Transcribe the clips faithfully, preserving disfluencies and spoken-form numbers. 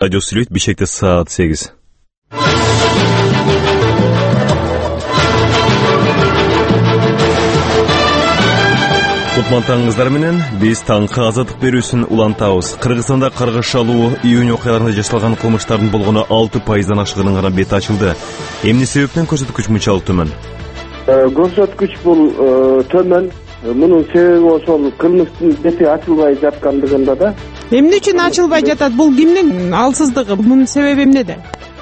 Радио Сүлейт, Бишкекте саат сегиз. Кутман таңыңыздар менен биз таңкы азаттык берүүсүн улантабыз. Кыргызстанда каргыш алуу июнь окуяларында жасалган кылмыштардын болгону алты пайыздан ашыгынын гана бети ачылды. Эмне себептен көрсөткүч мынчалык төмөн? Көрсөткүч бул төмөн. Мунун себеби ошол кылмыштын бети ачылбай жаткандыгында да. Эмне үчүн ачылбай жатат? Бул кимдин алсыздыгы? Мунун себеби эмнеде?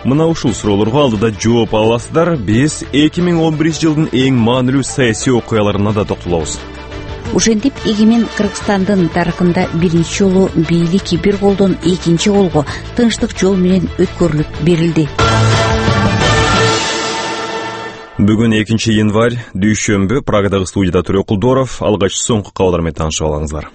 Мына ушул суроолорго алдыда жооп аласыздар. Биз эки миң он биринчи жылдын эң маанилүү саясий окуяларына да токтолобуз. Ошентип эгемен Кыргызстандын тарыхында биринчи жолу бийлик бир колдон экинчи колго тынчтык жол менен өткөрүлүп берилди. Бүгүн экинчи январь, дүйшөмбү, Прагадагы студияда Төрө Кулдоров, алгач соңку кабарлар менен таанышып алыңыздар.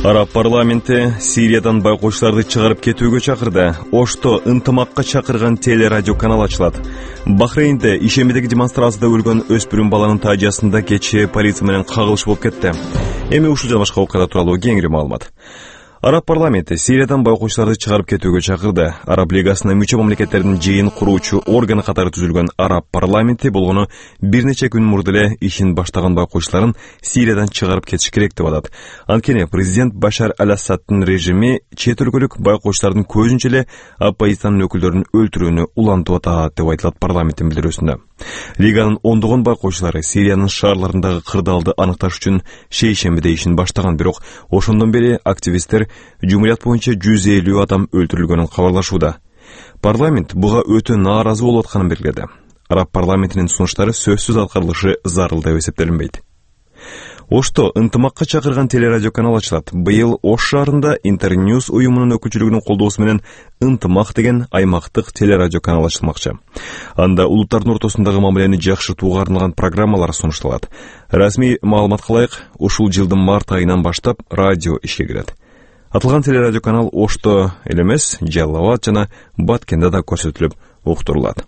Араб парламенти Сириядан байкоочуларды чыгарып кетүүгө чакырды. Ошто ынтымакка чакырган телерадио канал ачылат. Бахрейнде ишембидеги демонстрацияда өлгөн өспүрүм баланын таажасында кечээ полиция менен кагылыш болуп кетти. Эми ушул жана башка окуялар тууралуу кеңири маалымат. Араб парламенти Сириядан байкоочуларды чыгарып кетүүгө чакырды. Араб лигасына мүчө мамлекеттердин жыйын куруучу органы катары түзүлгөн Араб парламенти болгону бир нече күн мурда эле ишин баштаган байкоочуларын Сириядан чыгарып кетиш керек деп атат. Анткени президент Башар аль-Асаддын режими чет өлкөлүк байкоочулардын көзүнчө эле оппозициянын өкүлдөрүн өлтүрүүнү улантып атат деп айтылат парламенттин билдирүүсүндө. Лиганын ондогон байкоочулары Сириянын шаарларындагы кырдаалды аныкташ үчүн шейшембиде ишин баштаган, бирок ошондон бери активисттер жумурiyat боюнча жүз элүү адам өлтүрүлгөнүн кабарлашууда. Парламент буга өтө нааразы болуп атканын белгиледи. Араб парламентинин сунуштары сөзсүз аткарылышы зарыл деп эсептелинбейт. Ошто ынтымакка чакырган телерадио канал ачылат. Быйыл Ош шаарында Интерньюз уюмунун өкүлчүлүгүнүн колдоосу менен ынтымак деген аймактык телерадио канал ачылмакчы. Анда улуттардын ортосундагы мамилени жакшыртууга арналган программалар сунушталат. Расмий маалыматка ылайык, ушул жылдын март айынан баштап радио ишке кирет. Атылган телерадио канал Ошто эле эмес, Жалал Абад жана Баткенде да көрсөтүлүп уктурулат.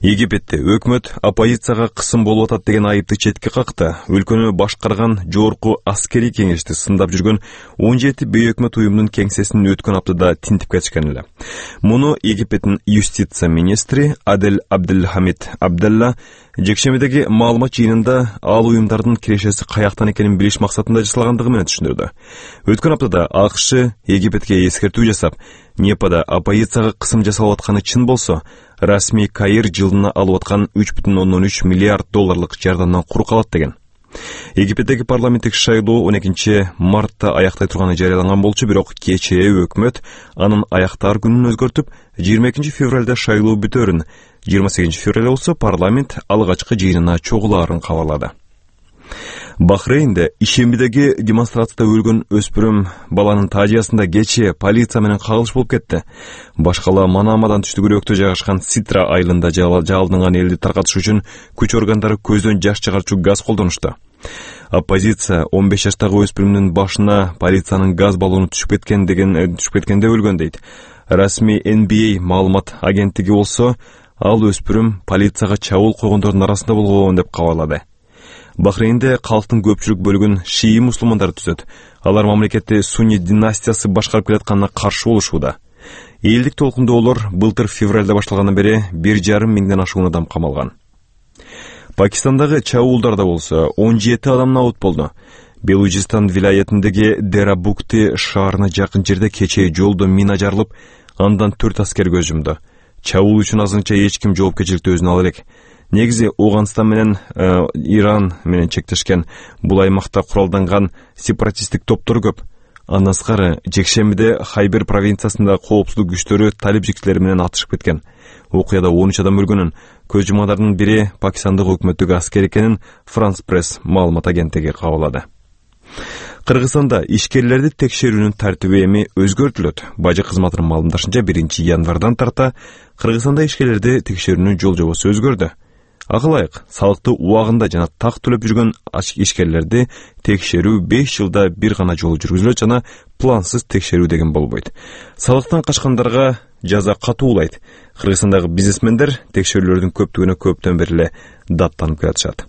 Египетте өкмөт оппозицияга кысым болуп атат деген айыпты четке какты. Өлкөнү башкарган жогорку аскерий кеңешти сындап жүргөн он жети бейөкмөт уюмдун кеңсесин өткөн аптада тинтип кетишкен эле. Муну Египеттин юстиция министри Адель Абдельхамид Абделла жекшембидеги маалымат жыйынында ал уюмдардын кирешеси каяктан экенин билиш максатында жасалгандыгы менен түшүндүрдү. Өткөн аптада АКШ Египетке эскертүү жасап, Непада оппозицияга кысым жасалып атканы чын болсо, расмий Каир жылына алып аткан үч бүтүн ондон үч миллиард долларлык жардамдан кур калат деген. Египеттеги парламенттик шайлоо он экинчи мартта аяктай турганы жарыяланган болчу, бирок кечээ өкмөт анын аяктар күнүн өзгөртүп, жыйырма экинчи февралда шайлоо бүтөөрүн, жыйырма сегизинчи февралда болсо парламент алгачкы жыйынына чогулаарын кабарлады. Бахрейнде ишембидеги демонстрацияда өлгөн өспүрүм баланын таажасында кечээ полиция менен кагылыш болуп кетти. Башкала Манамадан түштүгүрөөктө жайгашкан Ситра айылында жалдынган элди таркатыш үчүн күч органдары көздөн жаш чыгарчу газ колдонушту. Оппозиция он беш жаштагы өспүрүмдүн башына полициянын газ баллону түшүп кеткен деген түшүп кеткенде өлгөн дейт. Расмий Эн Би Эй маалымат агенттиги болсо, ал өспүрүм полицияга чабуул койгондордун арасында болгон деп кабарлады. Бахрейнде калктын көпчүлүк бөлүгүн шии мусулмандар түзөт. Алар мамлекетти Сунни династиясы башкарып келатканына каршы болушууда. Элдик толкундоолор былтыр февралда башталгандан бери бир жарым миңден ашуун адам камалган. Пакистандагы чабуулдарда болсо он жети адам набыт болду. Белужистан вилаятындагы Дерабукти шаарына жакын жерде кечээ жолдо мина жарылып, андан төрт аскер көз жумду. Чабуул үчүн азырынча эч ким жоопкерчиликти өзүнө ала элек. Негизи Ауганстан менен э, Иран менен чектешкен бул аймакта куралданган сепаратисттик топтор көп. Андан сырткары жекшембиде Хайбер провинциясында коопсуздук күчтөрү талибжиктер менен атышып кеткен. Окуяда он үч адам өлгөнүн, көз жумгандардын бири Пакистандык өкмөттүк аскер экенин Франс Пресс маалымат агенттиги кабарлады. Кыргызстанда ишкерлерди текшерүүнүн тартиби эми өзгөртүлөт. Бажы кызматынын маалымдашынча биринчи январдан тарта Кыргызстанда ишкерлерди текшерүүнүн жол жобосу өзгөрдү. Ага ылайык, салыкты убагында жана так төлөп жүргөн ишкерлерди текшерүү беш жылда бир гана жолу жүргүзүлөт жана плансыз текшерүү деген болбойт. Салыктан качкандарга жаза катуулайт. Кыргызстандагы бизнесмендер текшерүүлөрдүн көптүгүнө көптөн бери эле даттанып келатышат.